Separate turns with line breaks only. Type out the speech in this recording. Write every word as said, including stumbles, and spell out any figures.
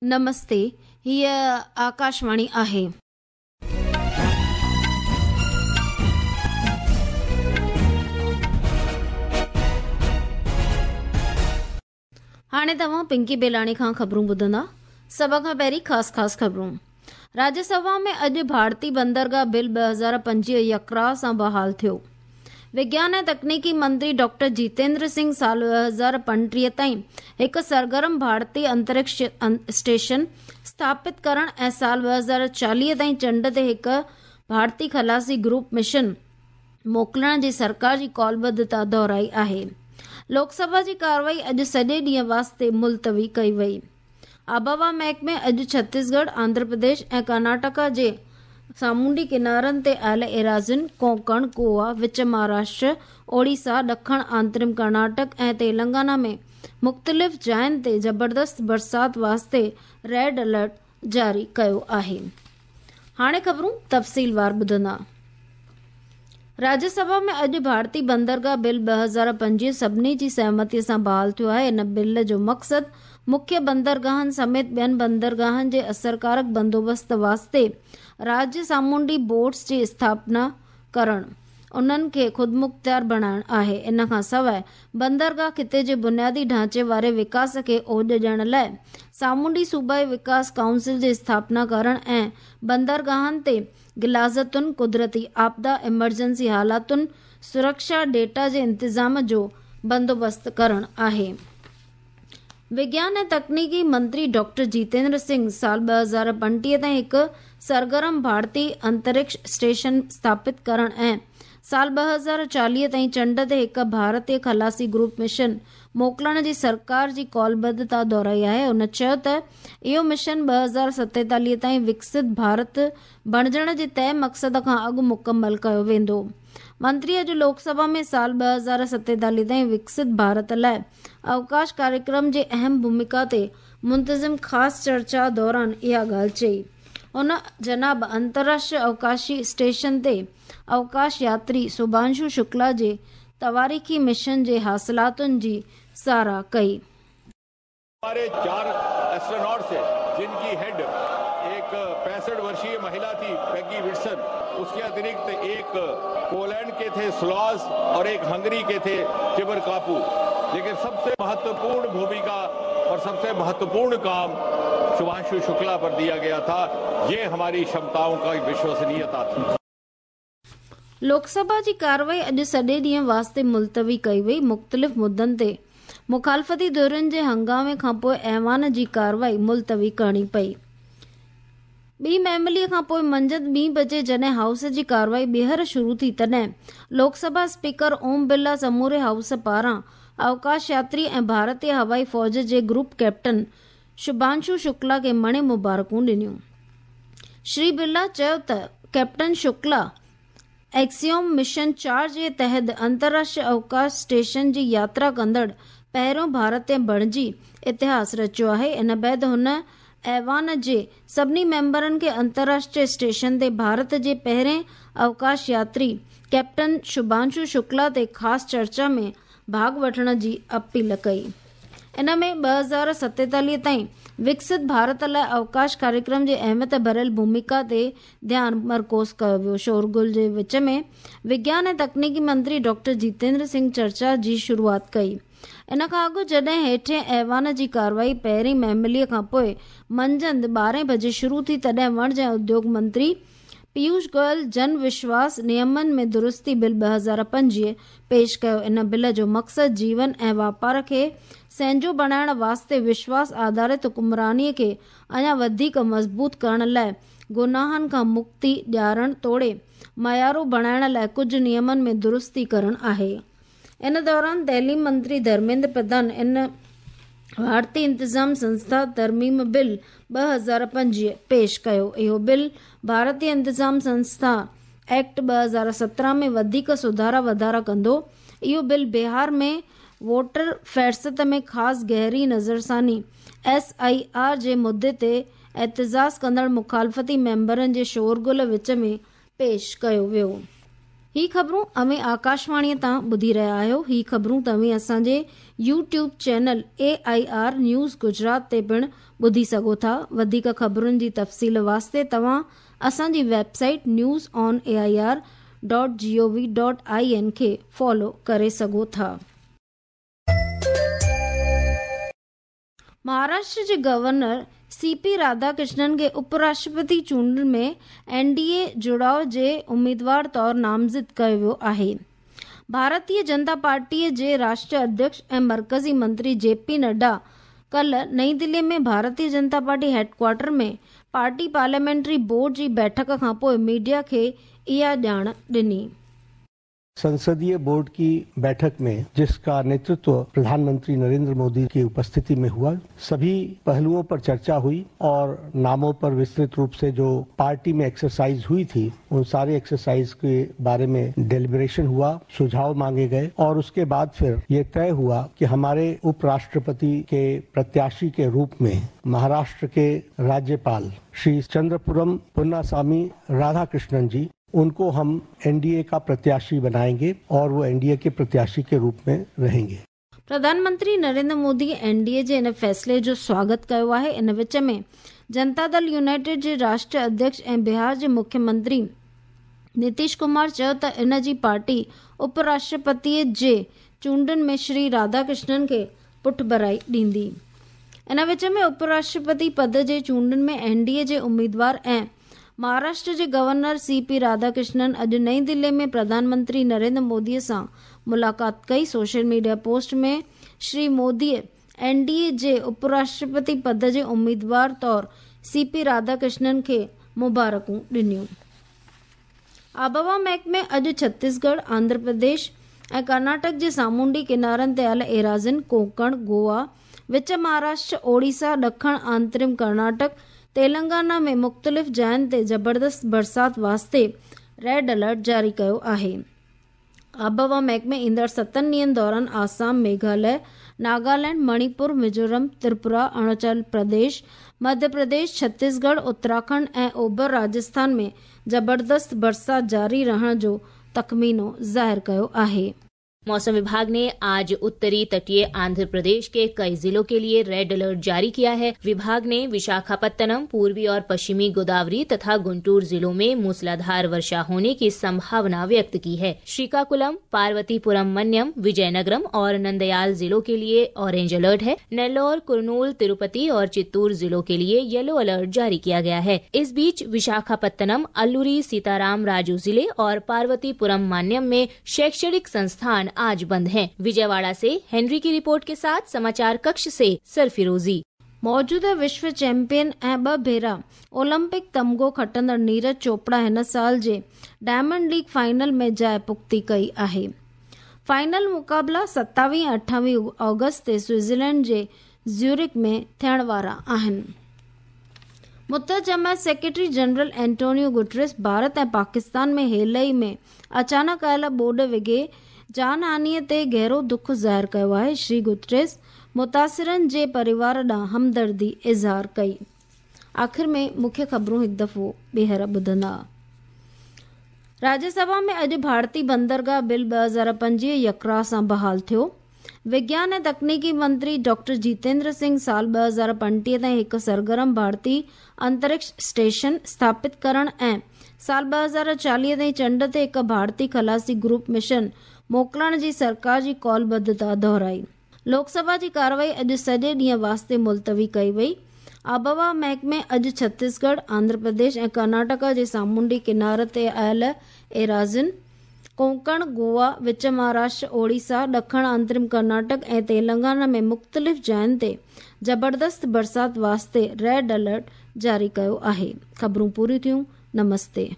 نمستي، هيء آڪاشواڻي آهي. هاڻي توهان پنڪي بيلاڻي کان خبرون ٻڌندا. سڀ کان پهرين خاص خاص خبرون. راجيه سڀا ۾ اڄ ڀارتي بندرگاهه بل ٻه هزار پنجويهه يڪراء سان بحال ٿيو. وگيان ۽ تڪنيڪي منتري ڊاڪٽر جيتيندر سنگهه سال ٻه هزار پنٽيهه تائين هڪ سرگرم ڀارتي انترڪش اسٽيشن اسٿاپت ڪرڻ ۽ سال ٻه هزار چاليهه تائين چنڊ تي هڪ ڀارتي خلاصي گروپ مشن موڪلڻ جي سرڪار جي قولبڌتا دهرائي آهي. لوڪ سڀا جي ڪارروائي اڄ سڄي ڏينهن واسطي ملتوي ڪئي وئي. آبهوا محڪمي اڄ ڇتيسڳڙهه، آنڌرا پرديش ۽ ڪرناٽڪا جي سامونڊي ڪنارن تي آيل ايراضين، ڪونڪڻ، گوا، وچ مهاراشٽر، اوڙيسا، ڏکڻ آنترم ڪرناٽڪ ۽ تيلنگانا ۾ مختلف جاين تي زبردست برسات واسطي ريڊ الرٽ جاري ڪيو آهي. هاڻي خبرون تفصيلوار ٻڌندا. راجيه سڀا ۾ اڄ ڀارتي بندرگاهه بل ٻه هزار پنجويهه سڀني جي سهمتي سان بحال ٿيو آهي. ان بل جو مقصد مکيه بندرگاهن سميت ٻين بندرگاهن جي اثرڪارڪ بندوبست واسطي راجيه سامونڊي بورڊز جي اسٿاپنا ڪرڻ، انهن کي خودمختيار بڻائڻ آهي. ان کان سواء بندرگاهه خطي جي بنيادي ڍانچي واري وڪاس کي اوڄ ڏيڻ لاء سامونڊي صوبائي وڪاس ڪائونسل جي اسٿاپنا ڪرڻ ۽ بندرگاهن تي غلاظتن، قدرتي آپدا، ايمرجنسي حالاتن، سرڪشا ڊيٽا جي انتظام جو بندوبست ڪرڻ آهي. وگيان ۽ تڪنيڪي منتري ڊاڪٽر جيتيندر سنگهه سال ٻه هزار پنٽيهه تائين هڪ سرگرم ڀارتي انترڪش اسٽيشن اسٿاپت ڪرڻ ۽ سال ٻه هزار چاليهه تائين چنڊ تي هڪ ڀارتي خلاصي گروپ مشن موڪلڻ جي سرڪار جي قولبڌتا دهرائي آهي. هن چيو ته اهو مشن ٻه هزار ستيتاليهه تائين وڪست ڀارت بڻجڻ جي طئي مقصد کان اڳ مڪمل ڪيو ويندو. منتري اڄ لوڪ سڀا ۾ سال ٻه هزار ستيتاليهه تائين وڪست ڀارت لاء اوڪاش ڪاريڪرم جي اهم ڀومڪا تي منتظم خاص چرچا دوران اها ڳالهه چئي. هن جناب انترراشٽريه اوڪاشي اسٽيشن تي اوڪاش ياتري شڀانشو شڪلا جي تواريخي مشن جي حاصلاتن جي ساراهه ڪئي.
हमारे चार एस्ट्रोनॉट्स थे जिनकी हेड एक पैंसठ वर्षीय महिला थी पेगी विटसन, उसके अतिरिक्त एक पोलैंड के थे स्लॉस और एक हंगरी के थे टिबर कापू। लेकिन सबसे महत्वपूर्ण भूमिका और सबसे महत्वपूर्ण काम शुभांशु शुक्ला पर दिया गया था। ये हमारी क्षमताओं का विश्वसनीयता थी।
لوڪ سڀا جي ڪارروائي اڄ سڄي ڏينهن واسطي ملتوي ڪئي وئي. مختلف مدن تي مخالفتي ڌرين جي هنگامي کانپوءِ ايوان جي ڪارروائي ملتوي ڪرڻي پئي. ٻي مهمليءَ کانپوءِ منجهند ٻي بجي جڏهن هائوس جي ڪارروائي ٻيهر شروع ٿي تڏهن لوڪ سڀا اسپيڪر اوم برلا سموري هائوس پاران اوڪاش ياتري ۽ ڀارتي هوائي فوج جي گروپ ڪيپٽن شڀانشو شڪلا کي مڻي مبارڪون ڏنيون. شري برلا چيو ته ڪيپٽن شڪلا ايڪسيوم مشن چار جي تحت انترراشٽريه اوڪاش اسٽيشن جي ياترا ڪندڙ پهريون ڀارتي بڻجي اتهاس رچيو آهي. ان بعد هن ايوان جي سڀني ميمبرن کي انترراشٽريه اسٽيشن تي ڀارت جي پهرين اوڪاش ياتري ڪيپٽن شڀانشو شڪلا تي خاص چرچا ۾ ڀاڳ وٺڻ جي اپيل ڪئي. ان ۾ ٻه هزار ستيتاليهه تائين وڪست ڀارت لاءِ اوڪاش ڪاريڪرم جي اهميت ڀريل ڀومڪا تي ڌيان مرڪوز ڪيو ويو. شورغل جي وچ ۾ وگيان ۽ تڪنيڪي منتري ڊاڪٽر جيتيندر سنگهه چرچا جي شروعات ڪئي. ان کان اڳ جڏهن هيٺين ايوان جي ڪارروائي پهرين مهمليءَ کان پوءِ منجهند ٻارهين بجي شروع ٿي تڏهن وڻج ۽ اديوگ منتري پيوش گويل جن وشواس نيمن ۾ درستي بل ٻه هزار پنجويهه پيش ڪيو. ان بل جو مقصد جيون ۽ واپار کي سهنجو بڻائڻ واسطي وشواس آڌارت حڪمرانيءَ کي اڃا وڌيڪ مضبوط ڪرڻ لاءِ گناهن کان مڪتي ڏيارڻ توڙي معيارو بڻائڻ لاءِ ڪجهه نيمن ۾ درستي ڪرڻ آهي. ان دوران تعليم منتري ڌرميندر پرڌان ان ڀارتي انتظام سنسٿا ترميم بل ٻه هزار پنجويهه پيش ڪيو. اهو بل ڀارتيه انتظام سنسٿا ايڪٽ ٻه هزار سترهن ۾ وڌيڪ سڌارا واڌارا ڪندو. اهو بل بهار ۾ ووٽر فهرست ۾ خاص گهري نظرثاني ايس I R جي مدعي تي احتجاج ڪندڙ مخالفتي ميمبرن جي شورغل وچ ۾ پيش ڪيو ويو. ही ख़बरूं अवें आकाशवाणीअ तां ॿुधी रहिया आहियो। ही ख़बरूं तव्हीं असांजे YouTube channel A I R news Gujarat ते पिणु ॿुधी सघो था। वधीक ख़बरुनि जी तफ़सील वास्ते तव्हां असांजी website news on A I R dot G O V dot I N खे फॉलो करे सघो था। महाराष्ट्र जे गवर्नर सी पी राधाकृष्णन खे उपराष्ट्रपति चूंडुनि में एन डी ए जुड़ाव जे उम्मीदवार तौर नामज़द कयो वियो आहे। भारतीय जनता पार्टीअ जे राष्ट्रीय अध्यक्ष ऐं मर्कज़ी मंत्री जे पी नड्डा कल नई दिल्ली में Bharatiya Janata party headquarter में पार्टी पार्लियामेंट्री बोर्ड जी बैठक खां पोइ मीडिया खे इहा ॼाण ॾिनी।
संसदीय बोर्ड की बैठक में, जिसका नेतृत्व प्रधानमंत्री नरेंद्र मोदी की उपस्थिति में हुआ, सभी पहलुओं पर चर्चा हुई और नामों पर विस्तृत रूप से जो पार्टी में एक्सरसाइज हुई थी उन सारे एक्सरसाइज के बारे में डेलिब्रेशन हुआ, सुझाव मांगे गए और उसके बाद फिर ये तय हुआ कि हमारे उपराष्ट्रपति के प्रत्याशी के रूप में महाराष्ट्र के राज्यपाल श्री चंद्रपुरम पोन्नासामी राधाकृष्णन जी, उनको हम एनडीए का प्रत्याशी बनाएंगे और वो एनडीए के प्रत्याशी के रूप में रहेंगे।
प्रधानमंत्री नरेंद्र मोदी एनडीए जे इन फैसले जो स्वागत कयो आहे। इन विच में जनता दल यूनाइटेड जे राष्ट्रीय अध्यक्ष ऐं बिहार जे मुख्यमंत्री नीतीश कुमार चयो त इन जी पार्टी उपराष्ट्रपतीअ जे चूंडुनि में श्री राधाकृष्णन खे पुठभराई ॾींदी। इन विच में उपराष्ट्रपति पद जे चूंडुनि में एनडीए जे उम्मीदवार ऐं महाराष्ट्र जे गवर्नर सी पी राधाकृष्णन अॼु नई दिल्ली में प्रधानमंत्री नरेंद्र मोदीअ सां मुलाक़ात कई। सोशल मीडिया पोस्ट में श्री मोदीअ एन डी ए जे उपराष्ट्रपति पद जे उम्मीदवार तौर सी पी राधाकृष्णन खे मुबारकूं ॾिनियूं। आबहवा महकमे अॼु छत्तीसगढ़, आंध्र प्रदेश ऐं कर्नाटक जे सामुंडी किनारनि ते आयल एराज़िन, कोंकण, गोवा, विच महाराष्ट्र, ओडिशा, ॾखण आंतरिम कर्नाटक, तेलंगाना में मुख़्तलिफ़ जायुनि ते ज़बरदस्त बरसात वास्ते रेड अलर्ट जारी कयो आहे। आबहवा महकमे ईंदड़ सतनि ॾींहनि दौरान आसाम, मेघालय, नागालैंड, मणिपुर, मिज़ोरम, त्रिपुरा, अरुणाचल प्रदेश, मध्य प्रदेश, छत्तीसगढ़, उत्तराखंड ऐं ओभर राजस्थान में ज़बरदस्त बरसात जारी रहण जो तख़मीनो ज़ाहिर कयो आहे।
मौसम विभाग ने आज उत्तरी तटीय आंध्र प्रदेश के कई जिलों के लिए रेड अलर्ट जारी किया है। विभाग ने विशाखापत्तनम, पूर्वी और पश्चिमी गोदावरी तथा गुंटूर जिलों में मूसलाधार वर्षा होने की संभावना व्यक्त की है। श्रीकाकुलम, पार्वतीपुरम मन्यम, विजयनगरम और नंदयाल जिलों के लिए ऑरेंज अलर्ट है। नेल्लोर, कुरनूल, तिरुपति और चित्तूर जिलों के लिए येलो अलर्ट जारी किया गया है। इस बीच विशाखापत्तनम, अल्लूरी सीताराम राजू जिले और पार्वतीपुरम मान्यम में शैक्षणिक संस्थान आज बंद हैं। विजयवाड़ा से हेनरी की रिपोर्ट के साथ समाचार कक्ष से सरफिरोजी।
मौजूदा विश्व चैंपियन ऐं ॿ भेरा ओलंपिक तमगो खटंदड़ नीरज चोपड़ा हिन साल जे डायमंड लीग फाइनल में जाइ पुख़्ती कई आहे। फाइनल मुक़ाबला सतावीह अठावीह ऑगस्ट ते स्विट्ज़रलैंड जे ज्यूरिक में थियण वारा आहिनि। मुत्तहिद जमायत secretary general Antonio Guterres Bharat ऐं पाकिस्तान में हेल ई में अचानक आयल ॿोॾ विघे जानहानीअ ते गहरो दुख ज़ाहिर कयो आहे। श्री गुटरेस मुतासिरनि जे परिवार ॾांहुं हमदर्दी इज़हार कई। आख़िर में मुख्य ख़बरूं हिकु दफ़ो ॿीहर ॿुधंदा। राज्यसभा में अॼु भारतीय बंदरगाह बिल ॿ हज़ार पंजवीह यकराह सां बहाल थियो। विज्ञान ऐं तकनीकी मंत्री डॉक्टर जितेंद्र सिंह साल ॿ हज़ार पंटीह ताईं हिकु सरगर्म भारतीय अंतरिक्ष स्टेशन स्थापित करण ऐं साल ॿ हज़ार चालीह ताईं चंड ते हिकु भारतीय ख़लासी ग्रुप मिशन मोकिलण जी सरकार जी कौलबद्धता दोहराई। लोकसभा जी कार्रवाई अॼु सॼे ॾींहं वास्ते मुलतवी कई वई। आबहवा महकमे अॼु छत्तीसगढ़, आंध्र प्रदेश ऐं कर्नाटक जे सामुंडी किनार ते आयल एराज़िन, कोंकण, गोवा, विच महाराष्ट्र, ओडिशा, ॾखण आंतरिम कर्नाटक ऐं तेलंगाना में मुख़्तलिफ़ जायुनि ते ज़बरदस्त बरसात वास्ते रेड अलर्ट जारी कयो आहे। ख़बरूं पूरियूं थियूं। नमस्ते।